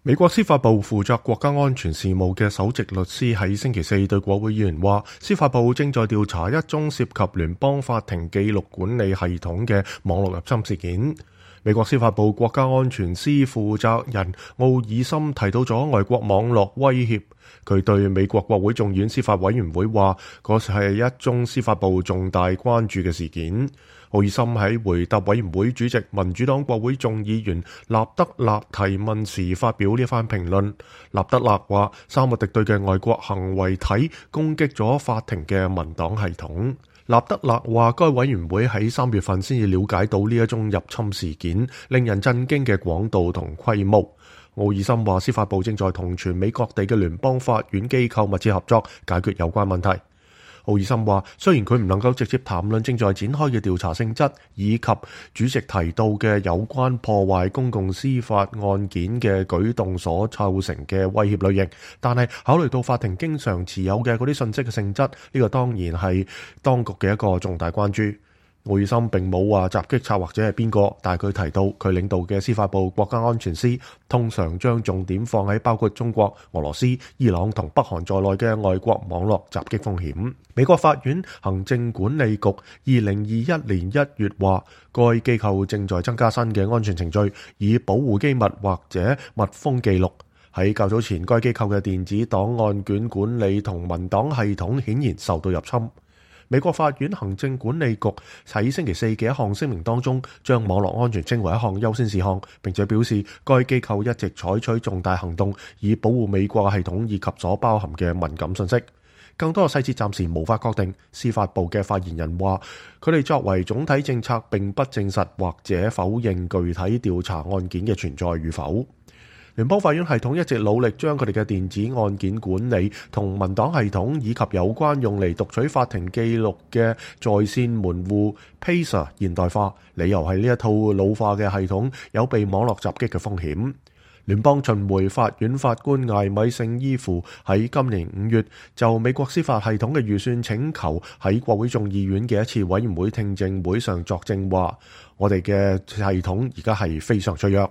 美國司法部負責國家安全事務嘅首席律師喺星期四對國會議員話，司法部正在調查一宗涉及聯邦法庭記錄管理系統嘅網絡入侵事件。美國司法部國家安全司負責人奧爾森提到咗外國網絡威脅，佢對美國國會眾院司法委員會話，嗰係一宗司法部重大關注嘅事件。奧爾森喺回答委員會主席民主黨國會眾議員納德勒提問時發表呢番評論。納德勒話，三個敵對嘅外國行為體攻擊咗法庭嘅民黨系統。納德勒話，該委員會喺3月份先至了解到呢一宗入侵事件令人震驚嘅廣度同規模。奧爾森話，司法部正在同全美各地嘅聯邦法院機構密切合作，解決有關問題。奧爾森話，雖然佢唔能夠直接談論正在展開嘅調查性質，以及主席提到嘅有關破壞公共司法案件嘅舉動所構成嘅威脅類型，但係考慮到法庭經常持有嘅嗰啲信息嘅性質，呢個當然係當局嘅一個重大關注。奧爾森並冇話襲擊策劃者係邊個，但係佢提到佢領導嘅司法部國家安全司通常將重點放喺包括中國、俄羅斯、伊朗同北韓在內嘅外國網絡襲擊風險。美國法院行政管理局2021年1月話，該機構正在增加新嘅安全程序，以保護機密或者密封記錄。喺較早前，該機構嘅電子檔案卷管理同文檔系統顯然受到入侵。美國法院行政管理局喺星期四嘅一項聲明當中，將網絡安全稱為一項優先事項，並且表示該機構一直採取重大行動，以保護美國系統以及所包含嘅敏感信息。更多嘅細節暫時無法確定。司法部嘅發言人話，佢哋作為總體政策並不證實或者否認具體調查案件嘅存在與否。聯邦法院系統一直努力將佢哋嘅電子案件管理同文檔系統以及有關用嚟讀取法庭記錄嘅在線門戶 Pacer 現代化，理由係呢一套老化嘅系統有被網絡襲擊嘅風險。聯邦巡迴法院法官艾米聖伊芙喺今年5月就美國司法系統嘅預算請求喺國會眾議院嘅一次委員會聽證會上作證話，我哋嘅系統而家係非常脆弱。